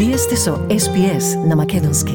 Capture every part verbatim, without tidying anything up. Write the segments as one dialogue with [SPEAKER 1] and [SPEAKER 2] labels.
[SPEAKER 1] Вие сте со Ес Би Ес на македонски.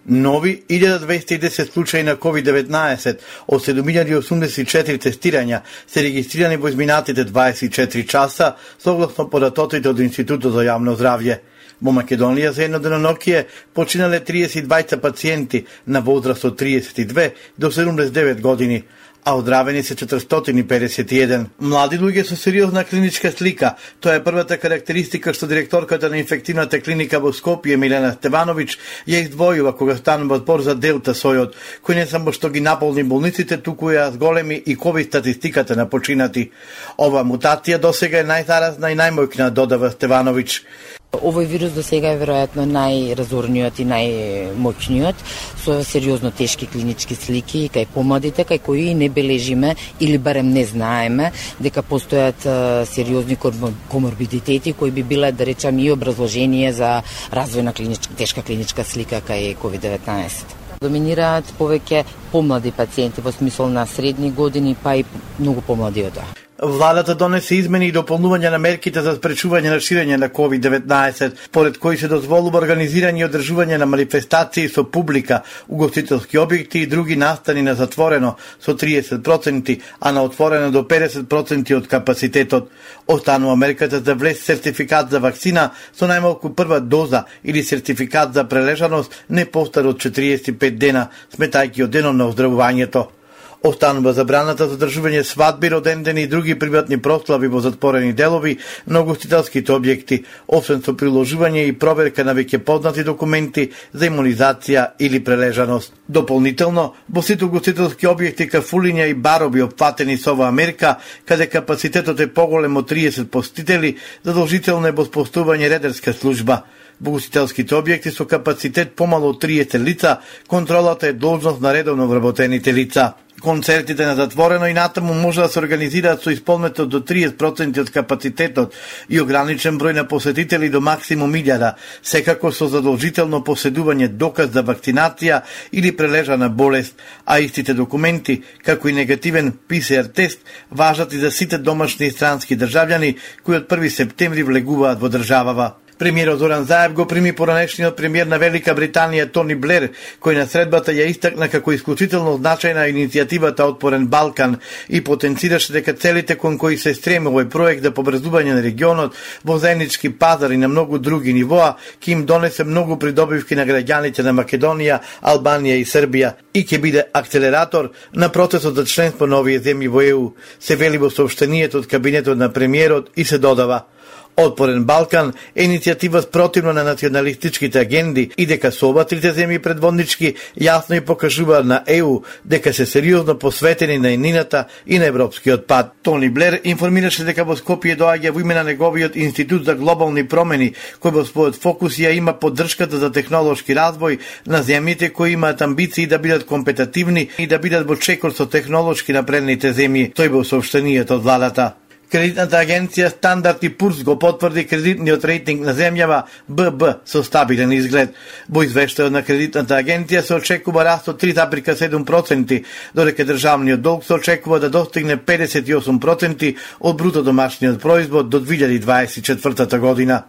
[SPEAKER 2] Нови илјада двеста и десет случаи на ковид деветнаесет од седум илјади и осумдесет и четири тестирања се регистрирани во изминатите дваесет и четири часа, согласно податоците од Институтот за јавно здравје. Во Македонија за едно денонокие починале триесет и двајца пациенти на возраст од триесет и две до седумдесет и девет години, а оздравени се четиристотини и педесет и еден. Млади луѓе со сериозна клиничка слика. Тоа е првата карактеристика што директорката на инфективната клиника во Скопје Милена Стевановиќ ја издвојува кога станува збор за делта сојот, кој не само што ги наполни болниците, туку ја зголеми и ковид статистиката на починати. Ова мутација досега е најзаразна и најмојкна, додава Стевановиќ.
[SPEAKER 3] Овој вирус до сега е веројатно најразорниот и најмоćниот, со сериозно тешки клинички слики кај помладите, кај кои не бележиме или барем не знаеме дека постојат сериозни коморбидитети кои би биле, да речам, и образложение за развој на клиничка, тешка клиничка слика кај ковид деветнаесет. Доминираат повеќе помлади пациенти во смисол на средни години, па и многу помлади од тоа.
[SPEAKER 2] Владата донесе измени и дополнување на мерките за спречување на ширење на ковид деветнаесет, според кои се дозволува организирање и одржување на манифестации со публика, угостителски објекти и други настани на затворено со триесет проценти, а на отворено до педесет проценти од капацитетот. Останува мерката за влез сертификат за вакцина со најмалку прва доза или сертификат за прележаност не постар од четириесет и пет дена, сметајќи од денот на оздравувањето. Останува забраната за одржување свадби, родендени и други приватни прослави во затворени делови на угостителските објекти, освен со приложување и проверка на веќе познати документи за имунизација или прележаност. Дополнително, во сите угостителски објекти, кафулиња и барови опфатени со оваа мерка, каде капацитетот е поголем од триесет посетители, задолжително е воспоставување редерска служба. Во угостителските објекти со капацитет помало од триесет лица, контролата е должност на редовно вработените лица. Концертите на затворено и натаму може да се организираат со исполнетот до триесет проценти од капацитетот и ограничен број на посетители до максимум илјада, секако со задолжително поседување доказ за вакцинација или прележана болест, а истите документи, како и негативен Пи Се Ар тест, важат и за сите домашни и странски државјани кои од први септември влегуваат во државава. Премиерот Зоран Заев го прими поранешниот премиер на Велика Британија Тони Блер, кој на средбата ја истакна како исклучително значајна иницијативата Отворен Балкан и потенцираше дека целите кон кои се стреми овој проект за побрзување на регионот во заеднички пазар и на многу други нивоа ќе им донесе многу придобивки на граѓаните на Македонија, Албанија и Србија и ќе биде акцелератор на процесот за членство на овие земји во Е У, се вели во соопштението од кабинетот на премиерот и се додава: Отворен Балкан е иницијатива спротивно на националистичките агенди и дека со ова трите земји предводнички јасно и покажуваат на Е У дека се сериозно посветени на еднината и на европскиот пат. Тони Блер информираше дека во Скопје доаѓа во име на неговиот Институт за глобални промени, кој во својот фокус ја има поддршката за технолошки развој на земјите кои имаат амбиции да бидат компетативни и да бидат во чекор со технолошки напредните земји, тој во соопштението од владата. Кредитната агенција Стандард и Пурс го потврди кредитниот рейтинг на земјава Б Б со стабилен изглед. Во извештајот на кредитната агенција се очекува раст од три зарез и седум проценти, додека државниот долг се очекува да достигне педесет и осум проценти од бруто домашниот производ до две илјади дваесет и четвртата година.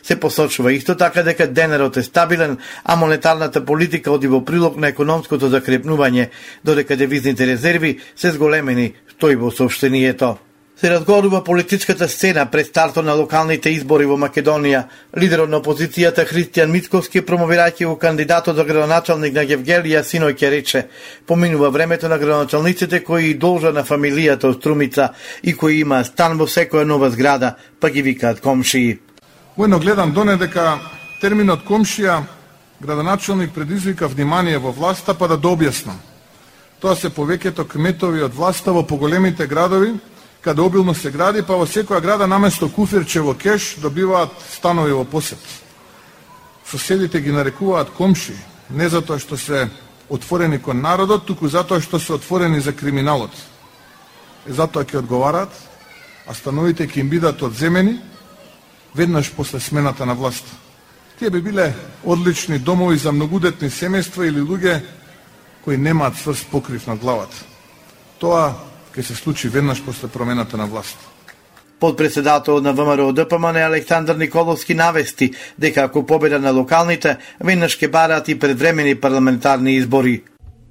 [SPEAKER 2] Се посочува исто така дека денарот е стабилен, а монетарната политика оди во прилог на економското закрепнување, додека девизните резерви се зголемени, стои во соопштението. Се разгорува политичката сцена пред стартот на локалните избори во Македонија. Лидерот на опозицијата Христијан Мицковски, промовирајќи го кандидатот за градоначалник на Гевгелија, синоќ рече: поминува времето на градоначалниците кои должат на фамилијата од Струмица и кои има стан во секоја нова зграда, па ги викаат комшии.
[SPEAKER 4] Воено гледам доне дека терминот комшија градоначалник предизвика внимание во власта, па да дообјаснам. Тоа се повеќето кметови од власта во поголемите градови, каде обилно се гради, па во секоја града наместо куфирче во кеш добиваат станови во посет. Соседите ги нарекуваат комши, не затоа што се отворени кон народот, туку затоа што се отворени за криминалот. И затоа ќе одговараат, а становите ќе им бидат одземени веднаш после смената на власт. Тие би биле одлични домови за многудетни семејства или луѓе кои немаат цврст покрив над главата. Тоа ќе се случи веднаш после промената на власт.
[SPEAKER 2] Подпредседател на ВМРО Д П М Н Александар Николовски навести дека ако победа на локалните, веднаш ќе бараат и предвремени парламентарни избори.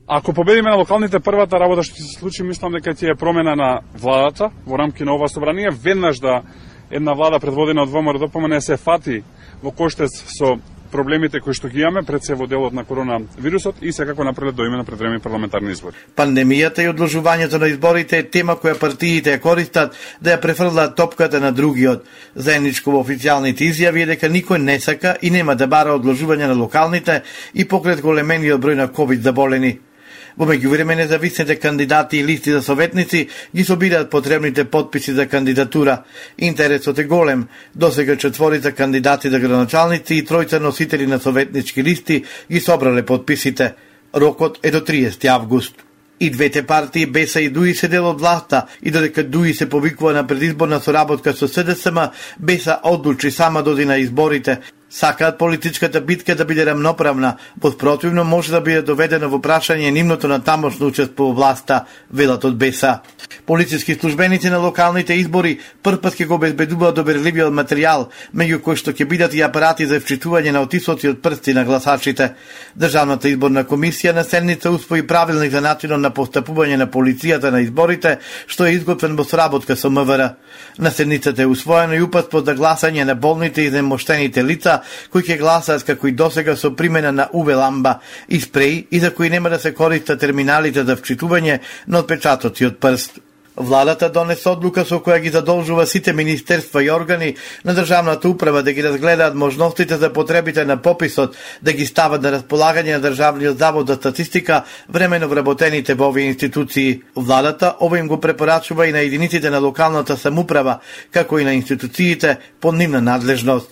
[SPEAKER 5] Ако победиме на локалните, првата работа што ќе се случи, мислам дека ќе е промена на владата во рамки на ова собрание, веднаш да една влада предводена од ВМРО Д П М Н се фати во коштец со проблемите кои што ги имаме пред се во делот на коронавирусот и секако напред до имено предвремени парламентарни избори.
[SPEAKER 2] Пандемијата и одложувањето на изборите е тема која партиите ја користат да ја префрлаат топката на другиот. Заедничко во официјалните изјави е дека никој не сака и нема да бара одложување на локалните и покрај големениот број на ковид заболени. Во меѓувреме независните кандидати и листи за советници ги собираат потребните потписи за кандидатура. Интересот е голем. Досега четворица кандидати за градоначалници и тројца носители на советнички листи ги собрале потписите. Рокот е до триесети август. И двете партии Беса и ДУИ се дел од власта и додека ДУИ се повикува на предизборна соработка со С Д С М, Беса одлучи сама доди на изборите. Сакаат политичката битка да биде рамноправна, во спротивно може да биде доведено во прашање нивното на тамошно учество во власта, велат од Беса. Полициски службеници на локалните избори првпат ќе го обезбедуваат доверливиот материјал, меѓу кои што ќе бидат и апарати за вчитување на отисоци од прсти на гласачите. Државната изборна комисија на седница усвои правилник за начинот на постапување на полицијата на изборите, што е изготвен во соработка со М В Р. На седницата е усвоено и упатство за гласање на болните и земоштените лица кои ќе гласаат како и досега со примена на У В ламба и спреи и за кои нема да се користат терминалите за вчитување на отпечатоци од прст. Владата донесе одлука со која ги задолжува сите министерства и органи на државната управа да ги разгледаат можностите за потребите на пописот, да ги стават на располагање на Државниот завод за статистика времено вработените во овие институции. Владата ова им го препорачува и на единиците на локалната самоуправа, како и на институциите под нивна надлежност.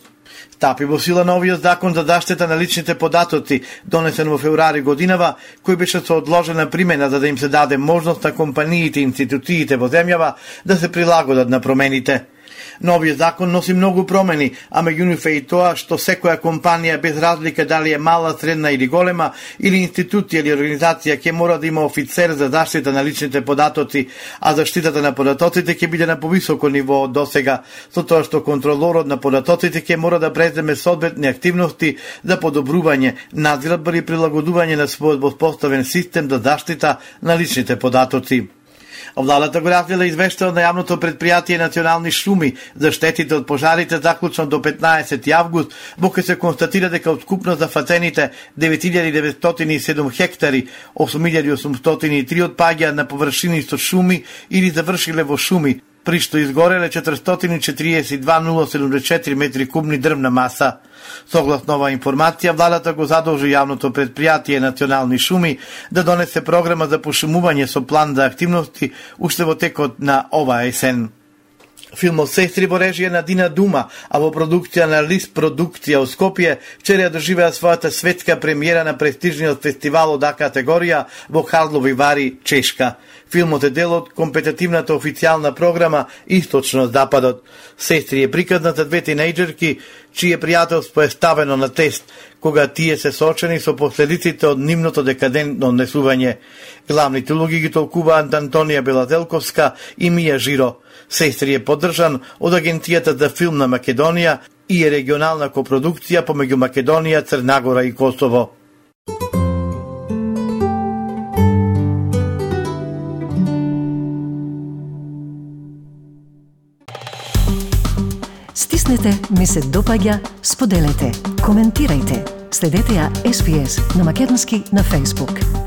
[SPEAKER 2] Стапи во сила новиот закон за заштита на личните податоци, донесен во февруари годинава, кој беше со одложена примена за да им се даде можност на компаниите и институциите во земјава да се прилагодат на промените. Новиот закон носи многу промени, а меѓу нив е и тоа што секоја компанија без разлика дали е мала, средна или голема, или институција или организација ќе мора да има офицер за заштита на личните податоци, а заштитата на податоците ќе биде на повисоко ниво од досега, со тоа што контролорот на податоците ќе мора да преземе соодветни активности за подобрување, надградба и прилагодување на својот воспоставен систем за заштита на личните податоци. Владата го разгледа извештајот на јавното предпријатие Национални шуми за штетите од пожарите заклучно до петнаесети август, во кој се констатира дека од скупно зафатените девет илјади деветстотини и седум хектари, осум илјади осумстотини и три од паѓаат на површини со шуми или завршиле во шуми, при што изгореле четиристотини и четириесет и два илјади седумдесет и четири метри кубни дрвна маса. Согласно оваа информација, владата го задолжи јавното предпријатие Национални шуми да донесе програма за пошумување со план за активности уште во текот на оваа есен. Филмот Сестри во режија на Дина Дума, а во продукција на Лис продукција од Скопје, вчера доживеа својата светска премиера на престижниот фестивал од А категорија во Карлови Вари, Чешка. Филмот е дел од компетитивната официјална програма Источно-Западот. Сестри е приказна за две тинејџерки, чие пријателство е ставено на тест, кога тие се соочени со последиците од нивното декадентно однесување. Главните улоги ги толкуваат Антонија Белазелковска и Мија Жиро. Сестри е поддржан од Агенцијата за филм на Македонија и е регионална копродукција помеѓу Македонија, Црнагора и Косово.
[SPEAKER 1] Стиснете, ми се допаѓа, споделете, коментирајте. Следете ја Ес Би Ес на македонски на Facebook.